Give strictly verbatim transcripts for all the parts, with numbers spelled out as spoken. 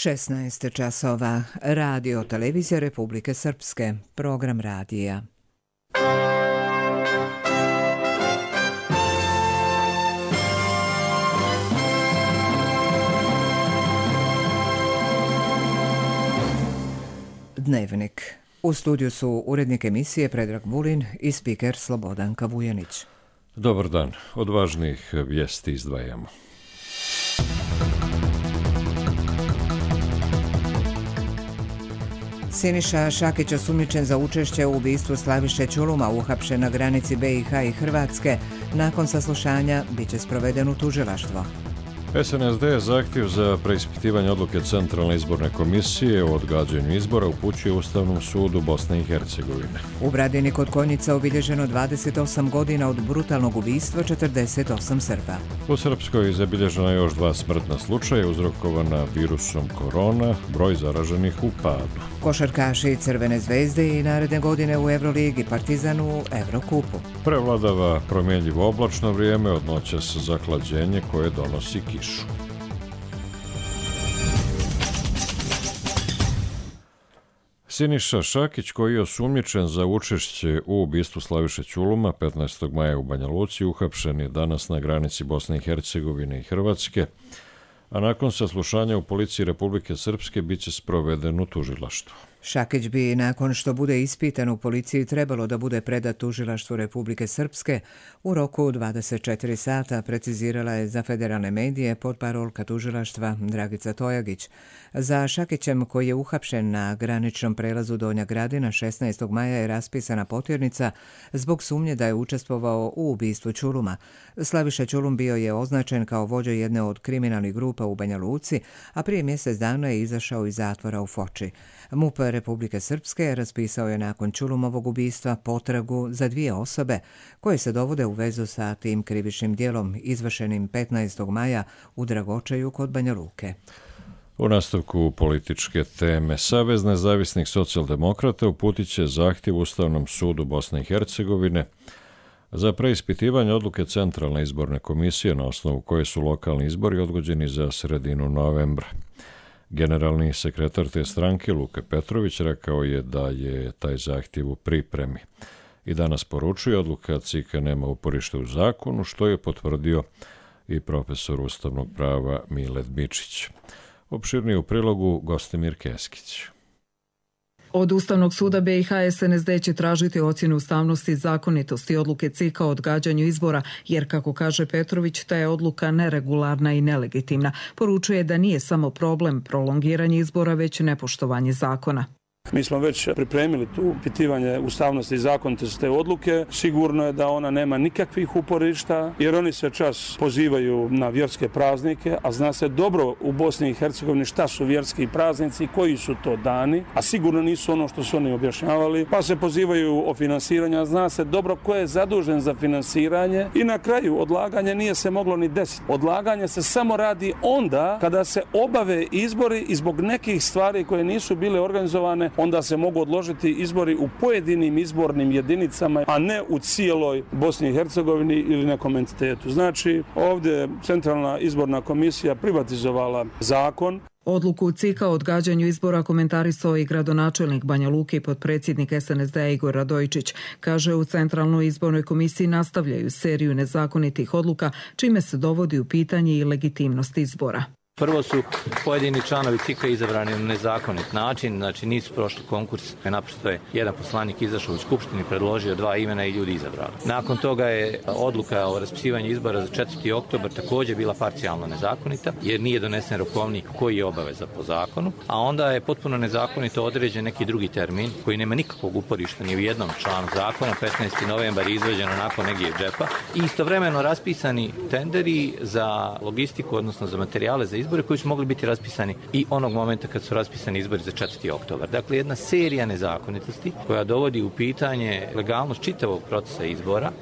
šesnaest časova. Radio televizija Republike Srpske. Program radija. Dnevnik. U studiju su urednik emisije Predrag Vulin i spiker Slobodanka Vujanić. Dobar dan. Od važnijih vijesti izdvajamo. Siniša Šakić osumnjičen za učešće u ubistvu Slaviše Ćuluma, uhapšen na granici B i H i Hrvatske. Nakon saslušanja biće sproveden u tužilaštvo. S N S D zahtjev za preispitivanje odluke Centralne izborne komisije o odgađanju izbora upućuje Ustavnom sudu Bosne i Hercegovine. U Bradini kod Konjica obilježeno dvadeset osam godina od brutalnog ubistva četrdeset osam Srba. U Srpskoj zabilježeno je još dva smrtna slučaja uzrokovana virusom korona, broj zaraženih u padu. Košarkaši Crvene zvezde i naredne godine u Euroligi, Partizan u Evrokupu. Prevladava promjenjivo oblačno vrijeme, od noćas zahlađenje koje donosi kišu. Siniša Šakić, koji je osumnjičen za učešće u ubistvu Slaviše Ćuluma petnaestog maja u Banja Luci, uhapšen je danas na granici Bosne i Hercegovine i Hrvatske, a nakon saslušanja u policiji Republike Srpske biće sproveden u tužilaštvo. Šakić bi, nakon što bude ispitan u policiji, trebalo da bude predat tužilaštvu Republike Srpske u roku dvadeset četiri sata, precizirala je za federalne medije portparolka tužilaštva Dragica Tojagić. Za Šakićem, koji je uhapšen na graničnom prelazu Donja Gradina, šesnaestog maja je raspisana potjernica zbog sumnje da je učestvovao u ubistvu Ćuluma. Slaviša Ćulum bio je označen kao vođa jedne od kriminalnih grupa u Banja Luci, a prije mjesec dana je izašao iz zatvora u Foči. M U P Republike Srpske raspisao je nakon Ćulumovog ubistva potragu za dvije osobe koje se dovode u vezu sa tim krivičnim djelom izvršenim petnaestog maja u Dragočaju kod Banja Luke. U nastavku političke teme, Savez nezavisnih socijaldemokrata uputit će zahtjev Ustavnom sudu Bosne i Hercegovine za preispitivanje odluke Centralne izborne komisije na osnovu koje su lokalni izbori odgođeni za sredinu novembra. Generalni sekretar te stranke Luka Petrović rekao je da je taj zahtjev u pripremi i danas poručuje odluka C I K-a nema uporište u zakonu, što je potvrdio i profesor ustavnog prava Miled Mičić. Opširnije u prilogu Gostimir Keskić. Od Ustavnog suda B i H S N S D će tražiti ocjenu ustavnosti i zakonitosti odluke C I K-a o odgađanju izbora, jer, kako kaže Petrović, ta je odluka neregularna i nelegitimna. Poručuje da nije samo problem prolongiranje izbora, već nepoštovanje zakona. Mi smo već pripremili tu pitivanje ustavnosti i zakonitosti te odluke. Sigurno je da ona nema nikakvih uporišta, jer oni se čas pozivaju na vjerske praznike, a zna se dobro u Bosni i Hercegovini šta su vjerski praznici, koji su to dani, a sigurno nisu ono što su oni objašnjavali, pa se pozivaju o finansiranju, a zna se dobro ko je zadužen za finansiranje i na kraju odlaganje nije se moglo ni desiti. Odlaganje se samo radi onda kada se obave izbori i zbog nekih stvari koje nisu bile organizovane, onda se mogu odložiti izbori u pojedinim izbornim jedinicama, a ne u cijeloj Bosni i Hercegovini ili nekom entitetu. Znači, ovdje Centralna izborna komisija privatizovala zakon. Odluku C I K-a o odgađanju izbora komentarisao i gradonačelnik Banja Luke i potpredsjednik S N S D-a Igor Radojičić. Kaže, u Centralnoj izbornoj komisiji nastavljaju seriju nezakonitih odluka, čime se dovodi u pitanje i legitimnost izbora. Prvo su pojedini članovi C I K-a izabrani na nezakonit način, znači nisu prošli konkurs, naprosto je jedan poslanik izašao u skupštini, predložio dva imena i ljudi izabrali. Nakon toga je odluka o raspisivanju izbora za četvrti oktobar također bila parcijalno nezakonita, jer nije donesen rokovnik koji je obaveza po zakonu, a onda je potpuno nezakonito određen neki drugi termin koji nema nikakvog uporišta ni u jednom članu zakona. petnaesti novembar je izvađen onako negdje iz džepa i istovremeno raspisani tenderi za logistiku, odnosno za materijale za izbore koji su mogli biti raspisani i onog momenta kad su raspisani izbori za četvrti oktobar. Dakle, jedna serija nezakonitosti koja dovodi u pitanje legalnost čitavog procesa izbora.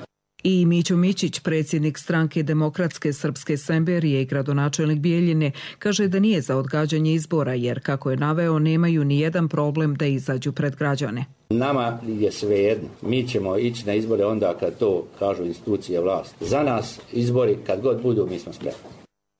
I Mićo Mićić, predsjednik stranke Demokratske srpske Semberije i gradonačelnik Bijeljine, kaže da nije za odgađanje izbora, jer, kako je naveo, nemaju ni jedan problem da izađu pred građane. Nama je svejedno. Mi ćemo ići na izbore onda kad to kažu institucije vlasti. Za nas izbori kad god budu, mi smo spremni.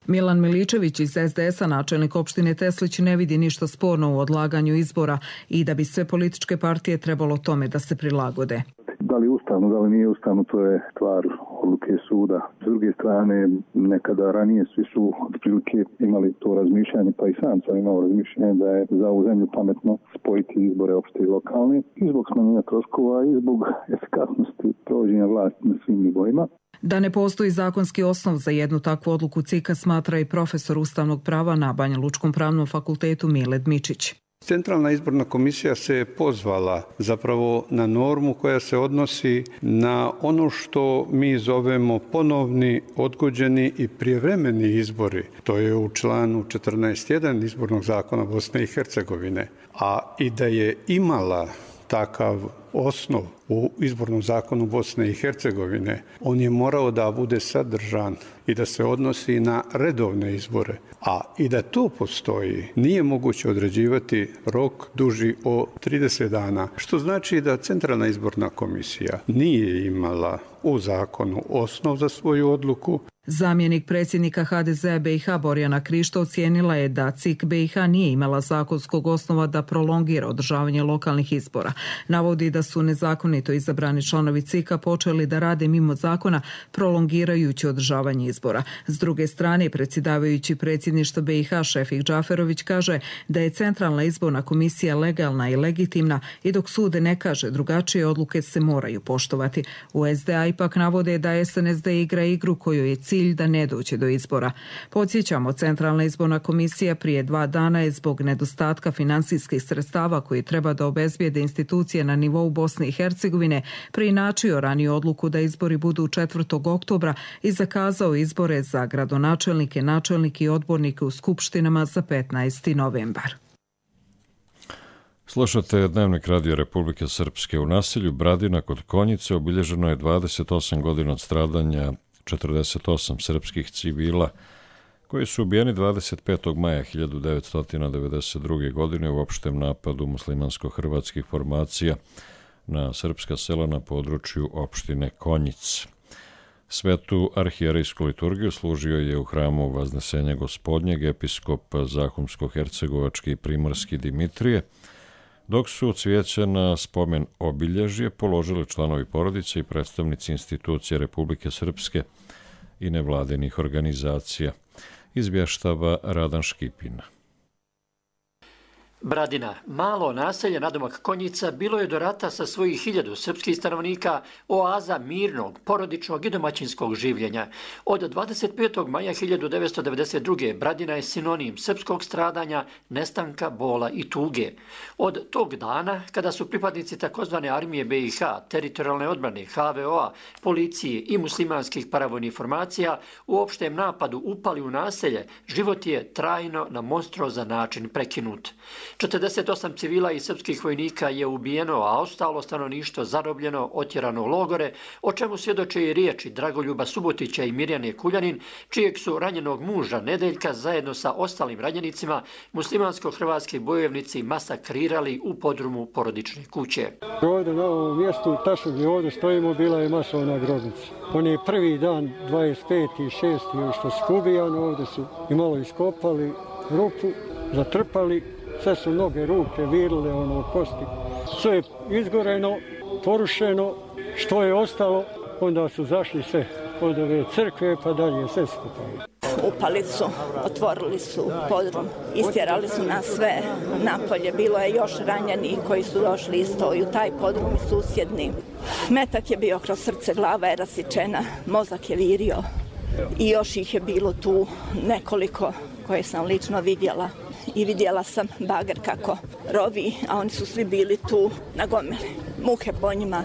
Milan Miličević iz es de es a, načelnik opštine Teslić, ne vidi ništa sporno u odlaganju izbora i da bi sve političke partije trebalo tome da se prilagode. Da li ustavno, da li nije ustavno, to je stvar odluke suda. S druge strane, nekada ranije svi su otprilike imali to razmišljanje, pa i sam sam imao razmišljanje da je za ovu zemlju pametno spojiti izbore opšte i lokalne i zbog smanjenja troškova i zbog efikasnosti provođenja vlasti na svim nivoima. Da ne postoji zakonski osnov za jednu takvu odluku C I K-a smatra i profesor ustavnog prava na Banja Lučkom pravnom fakultetu Mile Dmičić. Centralna izborna komisija se pozvala zapravo na normu koja se odnosi na ono što mi zovemo ponovni, odgođeni i prijevremeni izbori. To je u članu četrnaest jedan izbornog zakona Bosne i Hercegovine. A i da je imala takav osnov u izbornom zakonu Bosne i Hercegovine, on je morao da bude sadržan i da se odnosi na redovne izbore. A i da to postoji, nije moguće određivati rok duži od trideset dana, što znači da Centralna izborna komisija nije imala u zakonu osnov za svoju odluku. Zamjenik predsjednika ha de ze a be i ha Borjana Krišto ocijenila je da C I K be i ha nije imala zakonskog osnova da prolongira održavanje lokalnih izbora. Navodi da su nezakonito izabrani članovi C I K-a počeli da rade mimo zakona, prolongirajući održavanje izbora. S druge strane, predsjedavajući predsjedništva be i ha Šefik Džaferović kaže da je Centralna izborna komisija legalna i legitimna i dok sude ne kaže drugačije, odluke se moraju poštovati. U es de a ipak navode da es en es de igra igru kojoj je cilj da ne dođe do izbora. Podsjećamo, Centralna izborna komisija prije dva dana je zbog nedostatka finansijskih sredstava koji treba da obezbijede institucije na nivou Bosne i Hercegovine preinačio raniju odluku da izbori budu četvrtog oktobra i zakazao izbore za gradonačelnike, načelnike i odbornike u skupštinama za petnaesti novembar. Slušate Dnevnik Radio Republike Srpske. U naselju Bradina kod Konjice obilježeno je dvadeset osam godina od stradanja četrdeset osam srpskih civila koji su ubijeni dvadeset petog maja hiljadu devetsto devedeset druge. godine u opštem napadu muslimansko-hrvatskih formacija na srpska sela na području opštine Konjic. Svetu arhijerejsku liturgiju služio je u hramu Vaznesenja Gospodnjeg episkop Zahumsko-hercegovački i primorski Dimitrije, dok su cvijeće na spomen obilježje položili članovi porodice i predstavnici institucije Republike Srpske i nevladinih organizacija, izvještava Radan Škipina. Bradina, malo naselje nadomak Konjica, bilo je do rata sa svojih hiljadu srpskih stanovnika oaza mirnog, porodičnog i domaćinskog življenja. Od dvadeset petog maja hiljadu devetsto devedeset druge. Bradina je sinonim srpskog stradanja, nestanka, bola i tuge. Od tog dana, kada su pripadnici takozvane armije be i ha, teritorijalne odbrane, ha ve o-a, policije i muslimanskih paravojnih formacija u opštem napadu upali u naselje, život je trajno na monstruozan način prekinut. četrdeset osam civila i srpskih vojnika je ubijeno, a ostalo stanovništvo zarobljeno, otjerano u logore, o čemu svjedoče i riječi Dragoljuba Subotića i Mirjane Kuljanin, čijeg su ranjenog muža Nedeljka zajedno sa ostalim ranjenicima muslimansko-hrvatski bojovnici masakrirali u podrumu porodične kuće. Ovdje na ovom mjestu, tačno gdje ovdje stojimo, bila je masovna grobnica. On je prvi dan, dvadeset peti šesti što su ubijani, ovdje su i malo iskopali rupu, zatrpali, sve su noge, ruke virile, ono, kosti. Sve je izgoreno, porušeno, što je ostalo, onda su zašli sve od ove crkve pa dalje, sve skupali. Upali su, otvorili su podrum, istjerali su nas sve napolje. Bilo je još ranjeni koji su došli isto i u taj podrum i susjedni. Metak je bio kroz srce, glava je rasičena, mozak je virio i još ih je bilo tu nekoliko koje sam lično vidjela. I vidjela sam bager kako rovi, a oni su svi bili tu na gomili. Muke po njima,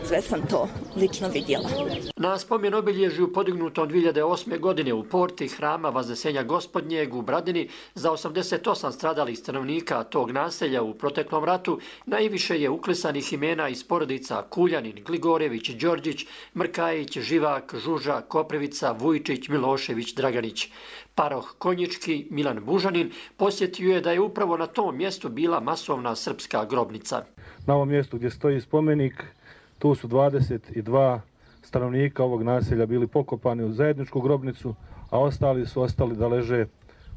sve sam to lično vidjela. Na spomen obilježju podignutom dvije hiljade osme. godine u porti hrama Vaznesenja Gospodnjeg u Bradini za osamdeset osam stradalih stanovnika tog naselja u proteklom ratu najviše je uklesanih imena iz porodica Kuljanin, Gligorević, Đorđić, Mrkajić, Živak, Žuža, Koprivica, Vujčić, Milošević, Draganić. Paroh Konjički Milan Bužanin posjetio je da je upravo na tom mjestu bila masovna srpska grobnica. Na ovom mjestu gdje stoji spomenik, tu su dvadeset dva stanovnika ovog naselja bili pokopani u zajedničku grobnicu, a ostali su ostali da leže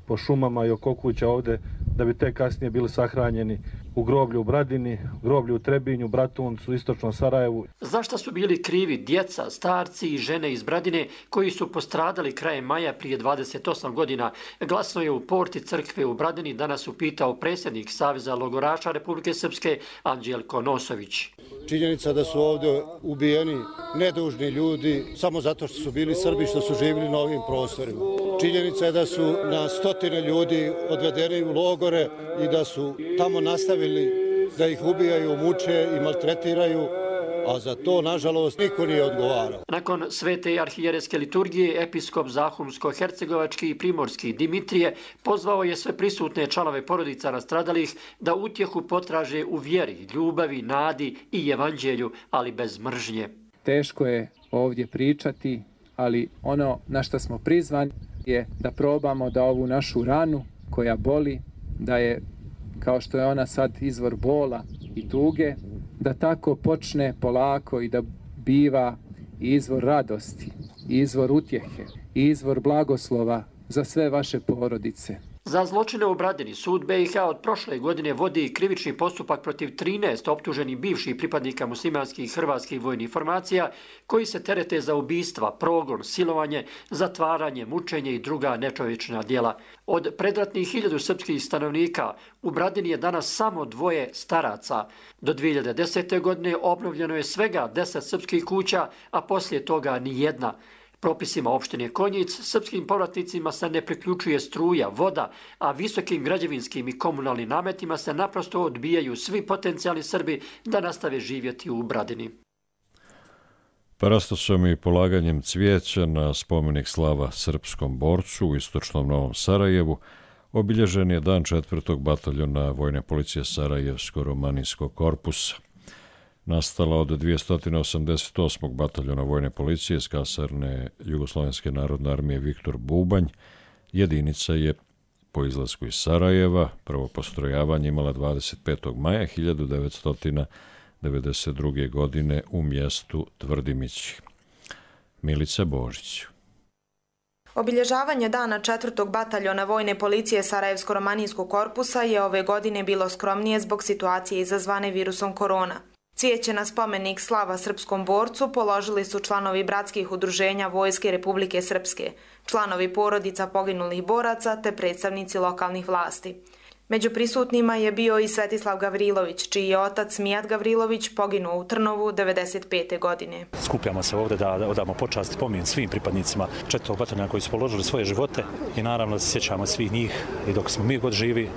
po šumama i oko kuća ovdje, da bi te kasnije bili sahranjeni u groblju u Bradini, groblju u Trebinju, Bratuncu, istočnom Sarajevu. Zašto su bili krivi djeca, starci i žene iz Bradine koji su postradali krajem maja prije dvadeset osam godina? Glasno je u porti crkve u Bradini danas upitao predsjednik Saveza logoraša Republike Srpske Anđelko Nosović. Činjenica da su ovdje ubijeni nedužni ljudi samo zato što su bili Srbi, što su živjeli na ovim prostorima. Činjenica je da su na stotine ljudi odvedeni u logore i da su tamo nastavili da ih ubijaju, muče i maltretiraju, a za to, nažalost, niko nije odgovarao. Nakon svete arhijereske liturgije, episkop Zahumsko-hercegovački i primorski Dimitrije pozvao je sve prisutne članove porodica nastradalih da utjehu potraže u vjeri, ljubavi, nadi i evanđelju, ali bez mržnje. Teško je ovdje pričati, ali ono na što smo prizvani je da probamo da ovu našu ranu koja boli, da je, kao što je ona sad izvor bola i tuge, da tako počne polako i da biva izvor radosti, izvor utjehe, izvor blagoslova za sve vaše porodice. Za zločine u Bradini sud B i H od prošle godine vodi krivični postupak protiv trinaest optuženih bivših pripadnika muslimanskih i hrvatskih vojnih formacija koji se terete za ubistva, progon, silovanje, zatvaranje, mučenje i druga nečovječna djela. Od predratnih hiljadu srpskih stanovnika u Bradini je danas samo dvoje staraca. Do dvije hiljade desete. godine obnovljeno je svega deset srpskih kuća, a poslije toga ni jedna. Propisima opštine Konjic, srpskim povratnicima se ne priključuje struja, voda, a visokim građevinskim i komunalnim nametima se naprosto odbijaju svi potencijalni Srbi da nastave živjeti u Bradini. Parastosom i polaganjem cvijeća na spomenik slava srpskom borcu u istočnom Novom Sarajevu obilježen je dan četvrtog bataljona Vojne policije Sarajevsko-romanijskog korpusa. Nastala od dvjesto osamdeset osmog bataljona Vojne policije iz kasarne Jugoslovenske narodne armije Viktor Bubanj, jedinica je po izlasku iz Sarajeva prvo postrojavanje imala dvadeset petog maja hiljadu devetsto devedeset druge. godine u mjestu Tvrdimići. Milica Božić. Obilježavanje dana četvrtog bataljona Vojne policije Sarajevsko-romanijskog korpusa je ove godine bilo skromnije zbog situacije izazvane virusom korona. Cvijeće na spomenik slava srpskom borcu položili su članovi bratskih udruženja Vojske Republike Srpske, članovi porodica poginulih boraca te predstavnici lokalnih vlasti. Među prisutnima je bio i Svetislav Gavrilović, čiji je otac Mijat Gavrilović poginuo u Trnovu devedeset pete. godine. Skupljamo se ovdje da odamo počast i pomin svim pripadnicima četvrtog bataljona koji su položili svoje živote i naravno da se sjećamo svih njih i dok smo mi god živi,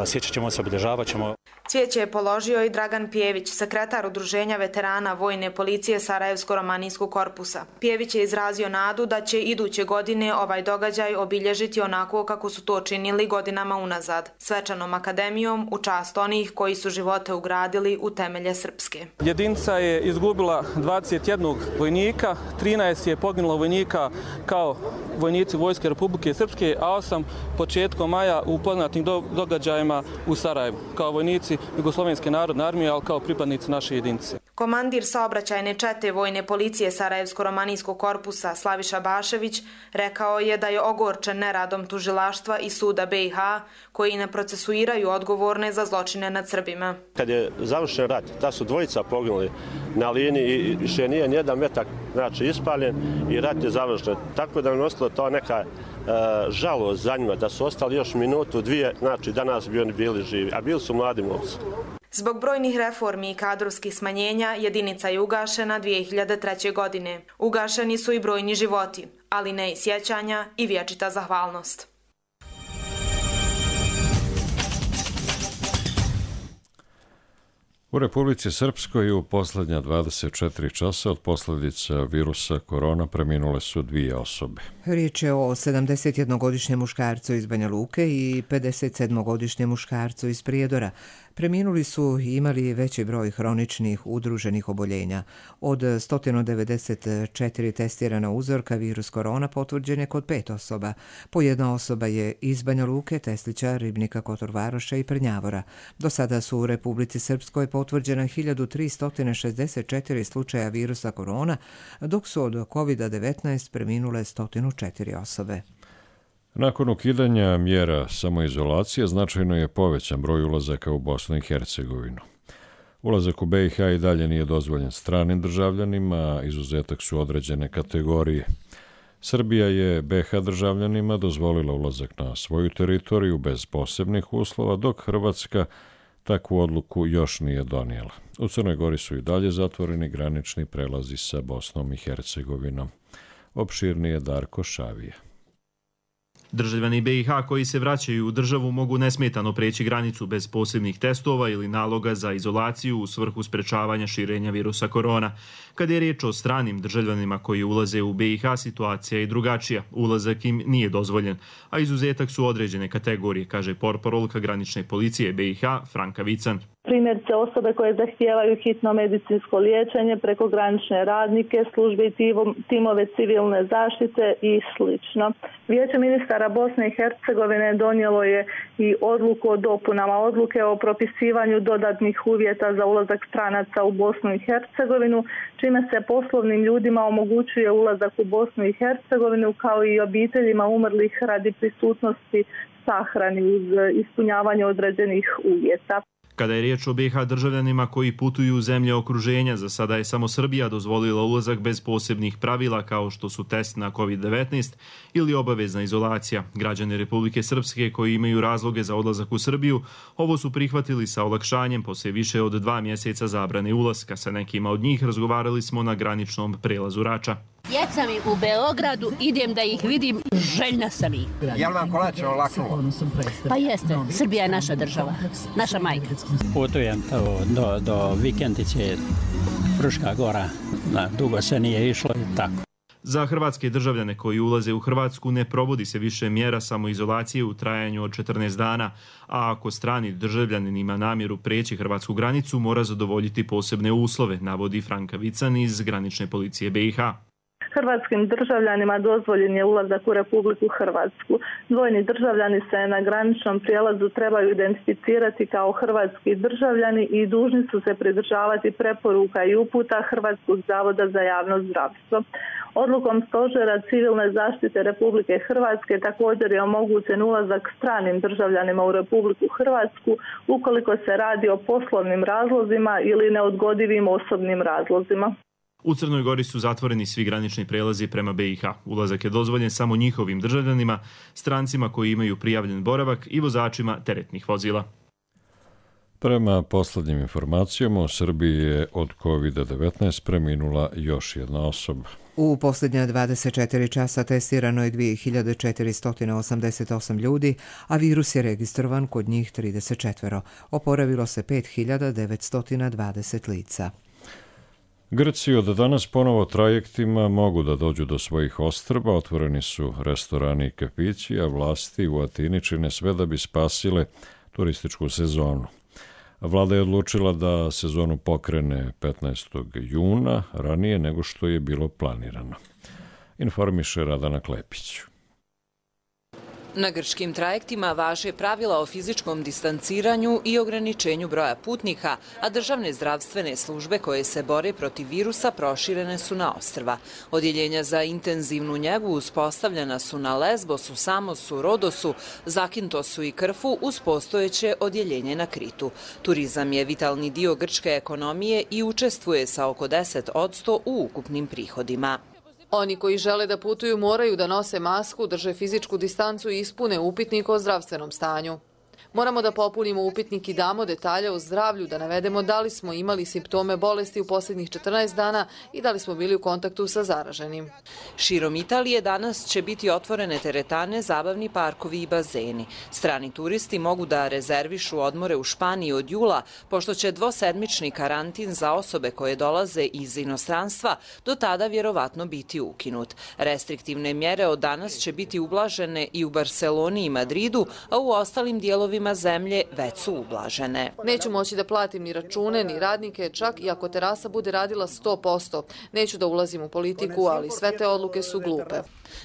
sjećat ćemo se, obilježavat ćemo. Cvijeće je položio i Dragan Pjević, sekretar Udruženja veterana Vojne policije Sarajevsko-romanijskog korpusa. Pjević je izrazio nadu da će iduće godine ovaj događaj obilježiti onako kako su to činili godinama unazad, svečanom akademijom u čast onih koji su živote ugradili u temelje Srpske. Jedinica je izgubila dvadeset jedan vojnika, trinaest je poginulo vojnika kao vojnici Vojske Republike Srpske, a osam početkom maja u poznatim događajima u Sarajevu, kao vojnici Jugoslovenske narodne armije, ali kao pripadnici naše jedinice. Komandir saobraćajne čete Vojne policije Sarajevsko-romanijskog korpusa Slaviša Bašević rekao je da je ogorčen neradom tužilaštva i suda B i H koji ne procesuiraju odgovorne za zločine nad Srbima. Kad je završen rat, ta su dvojica poginuli na liniji i više nije nijedan metak znači, ispaljen i rat je završen. Tako da je nosilo to neka e, žalost za njima da su ostali još minutu, dvije, znači danas bi oni bili živi, a bili su mladi momci. Zbog brojnih reformi i kadrovskih smanjenja jedinica je ugašena dvije hiljade treće. godine. Ugašeni su i brojni životi, ali ne i sjećanja i vječita zahvalnost. U Republici Srpskoj u posljednja dvadeset četiri časa od posljedica virusa korona preminule su dvije osobe. Riječ je o sedamdesetjednogodišnjem muškarcu iz Banja Luke i pedeset sedmogodišnjem muškarcu iz Prijedora. Preminuli su i imali veći broj hroničnih udruženih oboljenja. Od sto devedeset četiri testirana uzorka virus korona potvrđen je kod pet osoba. Po jedna osoba je iz Banja Luke, Teslića, Ribnika, Kotor Varoša i Prnjavora. Do sada su u Republici Srpskoj potvrđena hiljadu tristo šezdeset četiri slučaja virusa korona, dok su od kovid devetnaest preminule sto četiri osobe. Nakon ukidanja mjera samoizolacije značajno je povećan broj ulazaka u Bosnu i Hercegovinu. Ulazak u B i H i dalje nije dozvoljen stranim državljanima, izuzetak su određene kategorije. Srbija je B H državljanima dozvolila ulazak na svoju teritoriju bez posebnih uslova, dok Hrvatska takvu odluku još nije donijela. U Crnoj Gori su i dalje zatvoreni granični prelazi sa Bosnom i Hercegovinom. Opširnije Darko Šavija. Državljani B i H koji se vraćaju u državu mogu nesmetano preći granicu bez posebnih testova ili naloga za izolaciju u svrhu sprečavanja širenja virusa korona. Kad je riječ o stranim državljanima koji ulaze u B i H, situacija je drugačija. Ulazak im nije dozvoljen, a izuzetak su određene kategorije, kaže portparolka granične policije B i H Franka Vican. Primjerice osobe koje zahtijevaju hitno medicinsko liječenje, prekogranične radnike, službe i timove civilne zaštite i slično. Vijeće ministara Bosne i Hercegovine donijelo je i odluku o dopunama odluke o propisivanju dodatnih uvjeta za ulazak stranaca u Bosnu i Hercegovinu, čime se poslovnim ljudima omogućuje ulazak u Bosnu i Hercegovinu kao i obiteljima umrlih radi prisutnosti sahrani uz ispunjavanje određenih uvjeta. Kada je riječ o B i H državljanima koji putuju u zemlje okruženja, za sada je samo Srbija dozvolila ulazak bez posebnih pravila kao što su test na kovid devetnaest ili obavezna izolacija. Građani Republike Srpske koji imaju razloge za odlazak u Srbiju ovo su prihvatili sa olakšanjem poslije više od dva mjeseca zabrane ulaska. Sa nekima od njih razgovarali smo na graničnom prelazu Rača. Djeca mi u Beogradu, idem da ih vidim, željna sam ih. Jel vam kolače olaknulo? Pa jeste, Srbija je naša država, naša majka. Putujem do, do Vikendice, Fruška Gora, na, dugo se nije išlo i tako. Za hrvatske državljane koji ulaze u Hrvatsku ne provodi se više mjera samoizolacije u trajanju od četrnaest dana, a ako strani državljanin ima namjeru preći hrvatsku granicu, mora zadovoljiti posebne uslove, navodi Franka Vican iz granične policije B i H. Hrvatskim državljanima dozvoljen je ulazak u Republiku Hrvatsku. Dvojni državljani se na graničnom prijelazu trebaju identificirati kao hrvatski državljani i dužni su se pridržavati preporuka i uputa Hrvatskog zavoda za javno zdravstvo. Odlukom Stožera civilne zaštite Republike Hrvatske također je omogućen ulazak stranim državljanima u Republiku Hrvatsku ukoliko se radi o poslovnim razlozima ili neodgodivim osobnim razlozima. U Crnoj Gori su zatvoreni svi granični prelazi prema B i H. Ulazak je dozvoljen samo njihovim državljanima, strancima koji imaju prijavljen boravak i vozačima teretnih vozila. Prema posljednjim informacijama u Srbiji je od kovid devetnaest preminula još jedna osoba. U posljednja dvadeset četiri časa testirano je dvije hiljade četiristo osamdeset osam ljudi, a virus je registrovan kod njih trideset četiri. Oporavilo se pet hiljada devetsto dvadeset lica. Grci od danas ponovo trajektima mogu da dođu do svojih ostrva, otvoreni su restorani i kafići, a vlasti u Atini čine sve da bi spasile turističku sezonu. Vlada je odlučila da sezonu pokrene petnaestog juna, ranije nego što je bilo planirano. Informiše Radana Klepić. Na grčkim trajektima važe pravila o fizičkom distanciranju i ograničenju broja putnika, a državne zdravstvene službe koje se bore protiv virusa proširene su na ostrva. Odjeljenja za intenzivnu njegu uspostavljena su na Lesbosu, Samosu, Rodosu, Zakintosu i Krfu uz postojeće odjeljenje na Kritu. Turizam je vitalni dio grčke ekonomije i učestvuje sa oko deset posto u ukupnim prihodima. Oni koji žele da putuju moraju da nose masku, drže fizičku distancu i ispune upitnik o zdravstvenom stanju. Moramo da popunimo upitnik i damo detalje o zdravlju, da navedemo da li smo imali simptome bolesti u posljednjih četrnaest dana i da li smo bili u kontaktu sa zaraženim. Širom Italije danas će biti otvorene teretane, zabavni parkovi i bazeni. Strani turisti mogu da rezervišu odmore u Španiji od jula, pošto će dvosedmični karantin za osobe koje dolaze iz inostranstva do tada vjerovatno biti ukinut. Restriktivne mjere od danas će biti ublažene i u Barseloni i Madridu, a u ostalim dijelovima dijelovima zemlje već su ublažene. Neću moći da platim ni račune, ni radnike, čak i ako terasa bude radila sto posto. Neću da ulazim u politiku, ali sve te odluke su glupe.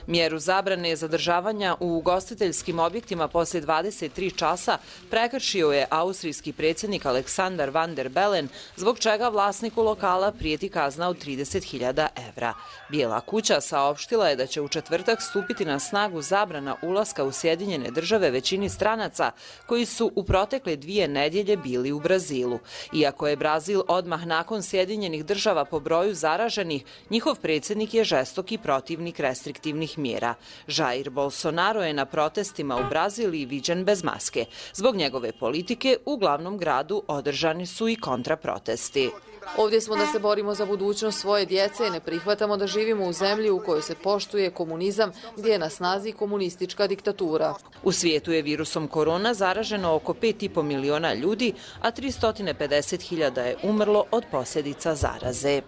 Mjeru zabrane zadržavanja u ugostiteljskim objektima poslije dvadeset tri časa prekršio je austrijski predsjednik Aleksandar Van der Bellen, zbog čega vlasniku lokala prijeti kazna od trideset hiljada evra. Bijela kuća saopštila je da će u četvrtak stupiti na snagu zabrana ulaska u Sjedinjene države većini stranaca koji su u protekle dvije nedjelje bili u Brazilu. Iako je Brazil odmah nakon Sjedinjenih država po broju zaraženih, njihov predsjednik je žestoki protivnik restriktivnih mjera. Jair Bolsonaro je na protestima u Braziliji viđen bez maske. Zbog njegove politike u glavnom gradu održani su i kontraprotesti. Ovdje smo da se borimo za budućnost svoje djece i ne prihvatamo da živimo u zemlji u kojoj se poštuje komunizam, gdje je na snazi komunistička diktatura. U svijetu je virusom korona zaraženo oko pet i po miliona ljudi, a tristo pedeset hiljada je umrlo od posljedica zaraze.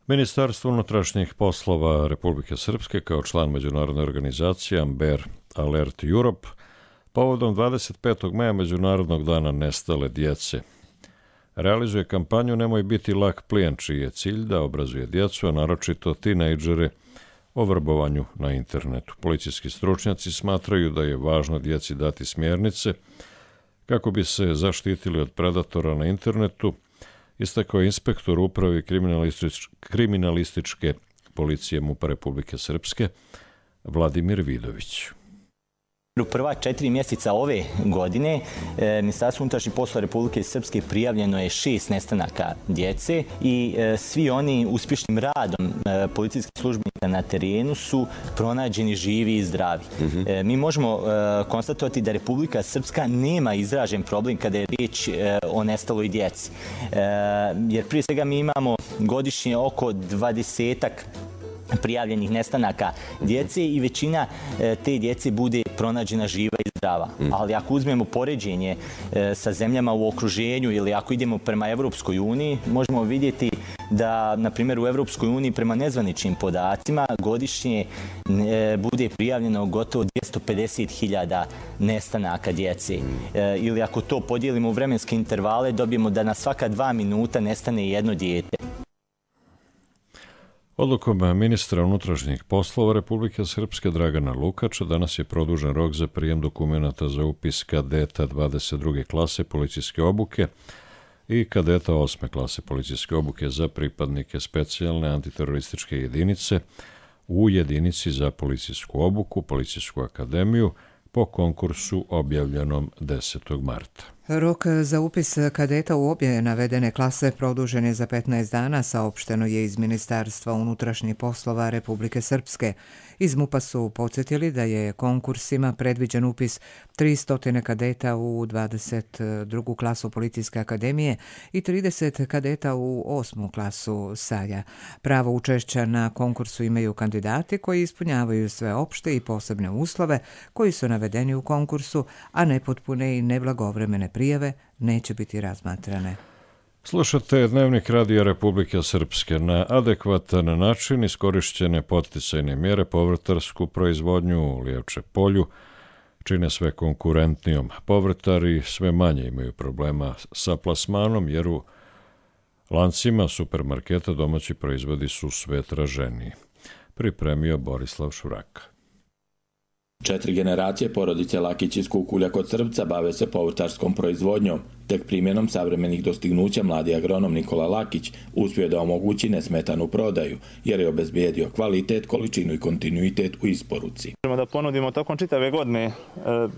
Ministarstvo unutrašnjih poslova Republike Srpske kao član međunarodne organizacije Amber Alert Europe povodom dvadeset petog maja Međunarodnog dana nestale djece realizuje kampanju Nemoj biti lak plijen, čiji je cilj da obrazuje djecu, a naročito tinejdžere, o vrbovanju na internetu. Policijski stručnjaci smatraju da je važno djeci dati smjernice kako bi se zaštitili od predatora na internetu, istakao je inspektor upravi kriminalistič, kriminalističke policije MUP-a Republike Srpske Vladimir Vidović. U prva četiri mjeseca ove godine e, Ministarstvo unutrašnjih poslova Republike Srpske prijavljeno je šest nestanaka djece i e, svi oni uspješnim radom e, policijskih službenika na terenu su pronađeni živi i zdravi. Mm-hmm. e, mi možemo e, konstatovati da Republika Srpska nema izražen problem kada je riječ e, o nestaloj djeci. E, jer prije svega mi imamo godišnje oko dvadesetak prijavljenih nestanaka djece i većina e, te djece bude pronađena živa i zdrava. Mm. Ali ako uzmemo poređenje e, sa zemljama u okruženju ili ako idemo prema Evropskoj uniji, možemo vidjeti da, na primjer, u Evropskoj uniji prema nezvaničnim podacima godišnje e, bude prijavljeno gotovo dvjesto pedeset hiljada nestanaka djece. Mm. E, ili ako to podijelimo u vremenske intervale, dobijemo da na svaka dva minuta nestane jedno dijete. Odlukom ministra unutrašnjih poslova Republike Srpske Dragana Lukača danas je produžen rok za prijem dokumenata za upis kadeta dvadeset druge klase policijske obuke i kadeta osme klase policijske obuke za pripadnike specijalne antiterorističke jedinice u jedinici za policijsku obuku, policijsku akademiju po konkursu objavljenom desetog marta. Rok za upis kadeta u obje navedene klase produžen je za petnaest dana, saopšteno je iz Ministarstva unutrašnjih poslova Republike Srpske. Iz MUP-a su podsjetili da je konkursima predviđen upis tristo kadeta u dvadeset drugu klasu Policijske akademije i trideset kadeta u osmu klasu Saja. Pravo učešća na konkursu imaju kandidati koji ispunjavaju sve opšte i posebne uslove koji su navedeni u konkursu, a nepotpune i neblagovremene prijave neće biti razmatrane. Slušate Dnevnik Radija Republike Srpske. Na adekvatan način iskorišćene podsticajne mjere povrtarsku proizvodnju u Lijevče polju čine sve konkurentnijom. Povrtari sve manje imaju problema sa plasmanom jer u lancima supermarketa domaći proizvodi su sve traženiji. Pripremio Borislav Šuraka. Četiri generacije porodice Lakić iz Kukulja kod Srbca bave se povrtarskom proizvodnjom. Tek primjenom savremenih dostignuća mladi agronom Nikola Lakić uspio da omogući nesmetanu prodaju, jer je obezbijedio kvalitet, količinu i kontinuitet u isporuci. Možemo da ponudimo tokom čitave godine e,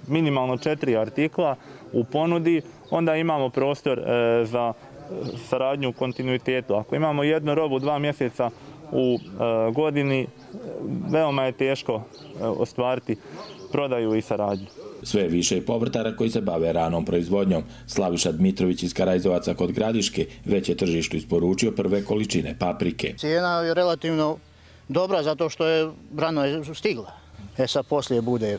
minimalno četiri artikla u ponudi, onda imamo prostor e, za saradnju u kontinuitetu. Ako imamo jednu robu dva mjeseca u e, godini, veoma je teško e, ostvariti prodaju i saradnju. Sve više povrtara koji se bave ranom proizvodnjom. Slaviša Dmitrović iz Karajzovaca kod Gradiške već je tržištu isporučio prve količine paprike. Cijena je relativno dobra zato što je rano je stigla. E sad poslije bude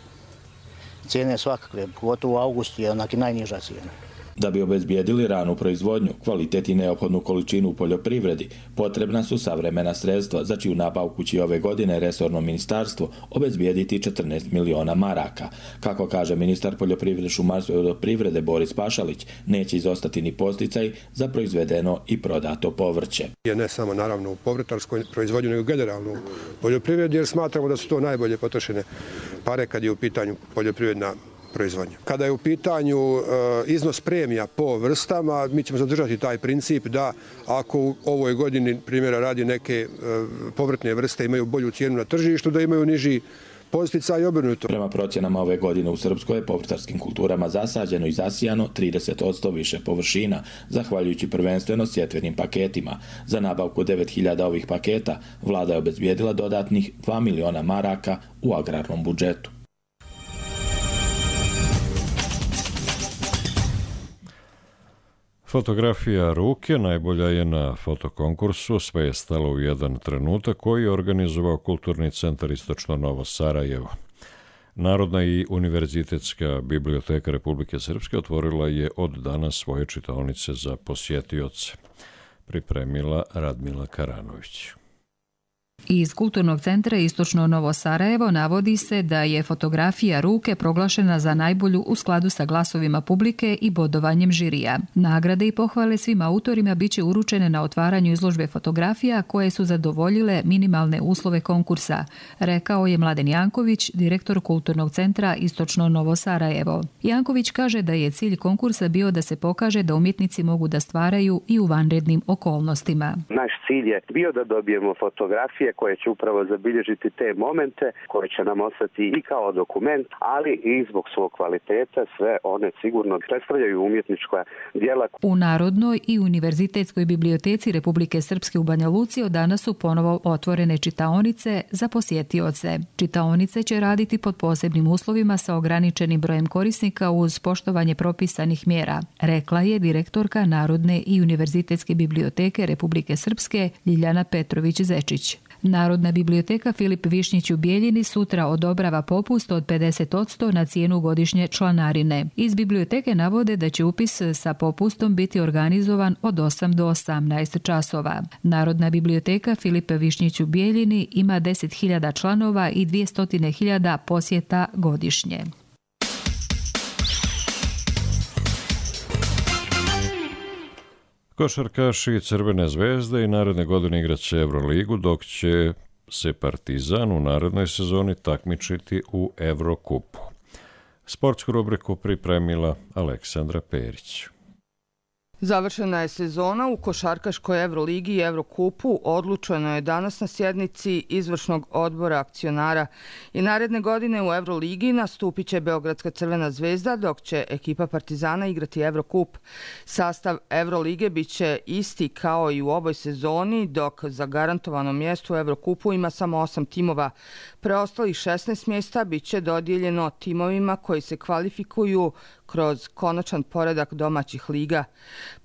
cijene svakakve, pogotovo u augustu je onak i najniža cijena. Da bi obezbijedili ranu proizvodnju, kvalitet i neophodnu količinu u poljoprivredi, potrebna su savremena sredstva, za čiju nabavku će ove godine resorno ministarstvo obezbijediti četrnaest miliona maraka. Kako kaže ministar poljoprivrede, šumarstva i vodoprivrede Boris Pašalić, neće izostati ni posticaj za proizvedeno i prodato povrće. Ne samo naravno u povrtarskoj proizvodnju, nego generalno u poljoprivredi, jer smatramo da su to najbolje potrošene pare kad je u pitanju poljoprivredna proizvodnja. Kada je u pitanju e, iznos premija po vrstama, mi ćemo zadržati taj princip da ako u ovoj godini primjera radi neke e, povrtne vrste imaju bolju cijenu na tržištu, da imaju niži posticaj i obrnuto. Prema procjenama ove godine u Srpskoj je povrtarskim kulturama zasađeno i zasijano trideset posto više površina, zahvaljujući prvenstveno sjetvenim paketima. Za nabavku devet hiljada ovih paketa vlada je obezbijedila dodatnih dva miliona maraka u agrarnom budžetu. Fotografija ruke najbolja je na fotokonkursu, sve je stalo u jedan trenutak koji je organizovao Kulturni centar Istočno Novo Sarajevo. Narodna i univerzitetska biblioteka Republike Srpske otvorila je od danas svoje čitaonice za posjetioce. Pripremila Radmila Karanović. Iz Kulturnog centra Istočno Novo Sarajevo navodi se da je fotografija ruke proglašena za najbolju u skladu sa glasovima publike i bodovanjem žirija. Nagrade i pohvale svim autorima biće uručene na otvaranju izložbe fotografija koje su zadovoljile minimalne uslove konkursa, rekao je Mladen Janković, direktor Kulturnog centra Istočno Novo Sarajevo. Janković kaže da je cilj konkursa bio da se pokaže da umjetnici mogu da stvaraju i u vanrednim okolnostima. Naš cilj je bio da dobijemo fotografije koje će upravo zabilježiti te momente, koje će nam ostati i kao dokument, ali i zbog svog kvaliteta sve one sigurno predstavljaju umjetnička djela. U Narodnoj i Univerzitetskoj biblioteci Republike Srpske u Banja Luci od danas su ponovo otvorene čitaonice za posjetioce. Čitaonice će raditi pod posebnim uslovima sa ograničenim brojem korisnika uz poštovanje propisanih mjera, rekla je direktorka Narodne i Univerzitetske biblioteke Republike Srpske Ljiljana Petrović-Zečić. Narodna biblioteka Filip Višnjić u Bijeljini sutra odobrava popust od pedeset posto na cijenu godišnje članarine. Iz biblioteke navode da će upis sa popustom biti organizovan od osam do osamnaest časova. Narodna biblioteka Filip Višnjić u Bijeljini ima deset hiljada članova i dvjesto hiljada posjeta godišnje. Košarkaši Crvene zvezde i naredne godine igraće Euroligu, dok će se Partizan u narednoj sezoni takmičiti u Evrokupu. Sportsku rubriku pripremila Aleksandra Perić. Završena je sezona u košarkaškoj Evroligi i Evrokupu, odlučeno je danas na sjednici izvršnog odbora akcionara i naredne godine u Evroligi nastupit će Beogradska Crvena zvezda, dok će ekipa Partizana igrati Evrokup. Sastav Evrolige bit će isti kao i u ovoj sezoni, dok za garantovano mjesto u Evrokupu ima samo osam timova. Preostalih šesnaest mjesta bit će dodijeljeno timovima koji se kvalifikuju kroz konačan poredak domaćih liga.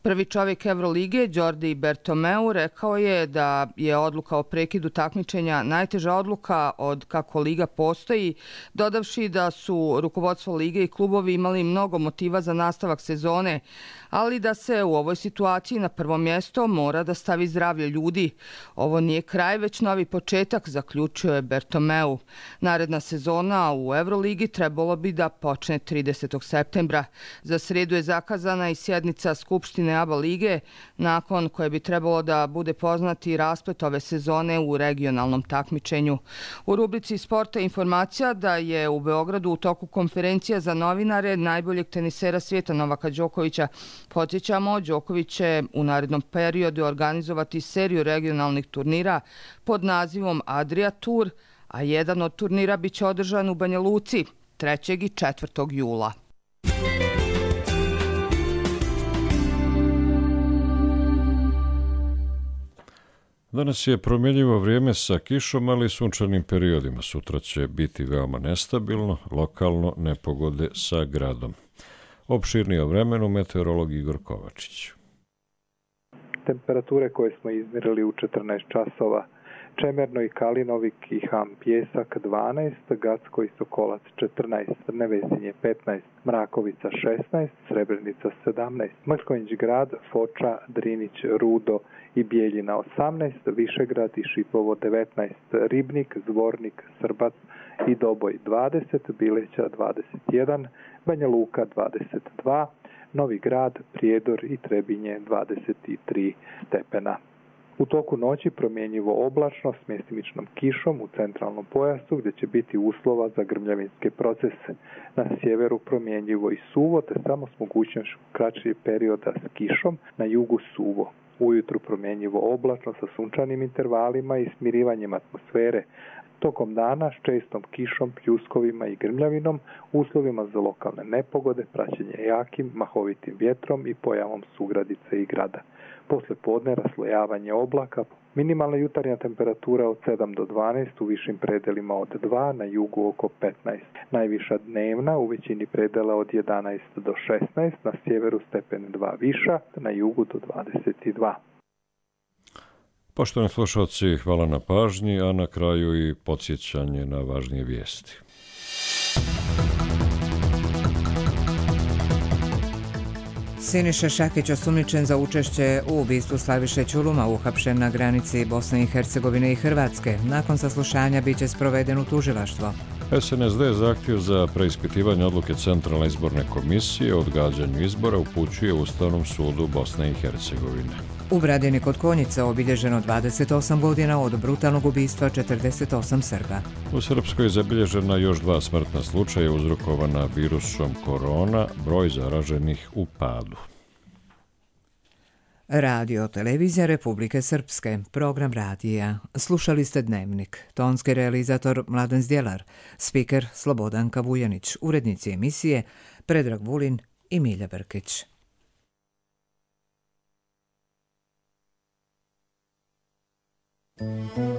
Prvi čovjek Evrolige, Đordi Bertomeu, rekao je da je odluka o prekidu takmičenja najteža odluka od kako liga postoji, dodavši da su rukovodstvo lige i klubovi imali mnogo motiva za nastavak sezone, ali da se u ovoj situaciji na prvo mjesto mora da stavi zdravlje ljudi. Ovo nije kraj, već novi početak, zaključio je Bertomeu. Naredna sezona u Evroligi trebalo bi da počne tridesetog septembra. Za sredu je zakazana i sjednica Skupštine A B A lige, nakon koje bi trebalo da bude poznati rasplet ove sezone u regionalnom takmičenju. U rubrici Sporta informacija da je u Beogradu u toku konferencija za novinare najboljeg tenisera svijeta Novaka Đokovića. Podsjećamo, Đoković će u narednom periodu organizovati seriju regionalnih turnira pod nazivom Adria Tour, a jedan od turnira biće održan u Banja Luci trećeg i četvrtog jula. Danas je promjenjivo vrijeme sa kišom, ali i sunčanim periodima. Sutra će biti veoma nestabilno, lokalno nepogode sa gradom. Opširnije o vremenu meteorolog Igor Kovačić. Temperature koje smo izmjerili u četrnaest časova Čemerno i Kalinovik i Ham Pjesak dvanaest, Gacko i Sokolac četrnaest, Nevesinje petnaest, Mrakovica šesnaest, Srebrenica sedamnaest, Mrkonjić Grad, Foča, Drinić, Rudo i Bijeljina osamnaest, Višegrad i Šipovo devetnaest, Ribnik, Zvornik, Srbac i Doboj dvadeset, Bileća dvadeset jedan, Banja Luka dvadeset dva, Novi Grad, Prijedor i Trebinje dvadeset tri stepena. U toku noći promjenjivo oblačno s mjestimičnom kišom u centralnom pojasu gdje će biti uslova za grmljavinske procese. Na sjeveru promjenjivo i suvo te samo s mogućnošću kraćih perioda s kišom, na jugu suvo. Ujutru promjenjivo oblačno sa sunčanim intervalima i smirivanjem atmosfere. Tokom dana s čestom kišom, pljuskovima i grmljavinom, uslovima za lokalne nepogode, praćenje jakim, mahovitim vjetrom i pojavom sugradice i grada. Posle podne raslojavanje oblaka, minimalna jutarnja temperatura od sedam do dvanaest, u višim predelima od dva, na jugu oko petnaest. Najviša dnevna u većini predela od jedanaest do šesnaest, na sjeveru stepen dva viša, na jugu do dvadeset dva. Poštovani slušalci, hvala na pažnji, a na kraju i podsjećanje na važnije vijesti. Siniša Šakić, osumnjičen za učešće u ubistvu Slaviše Ćuluma, uhapšen na granici Bosne i Hercegovine i Hrvatske. Nakon saslušanja biće sproveden u tužilaštvo. S N S D zahtjev za preispitivanje odluke Centralne izborne komisije o odgađanju izbora upućuje Ustavnom sudu Bosne i Hercegovine. U Bradini kod Konjica obilježeno dvadeset osam godina od brutalnog ubistva četrdeset osam Srba. U Srpskoj je zabilježena još dva smrtna slučaja uzrokovana virusom korona, broj zaraženih u padu. Radio Televizija Republike Srpske, program radija. Slušali ste Dnevnik. Tonski realizator Mladen Zdjelar, spiker Slobodanka Vujanić, urednici emisije Predrag Vulin i Milja Brkić. Thank you.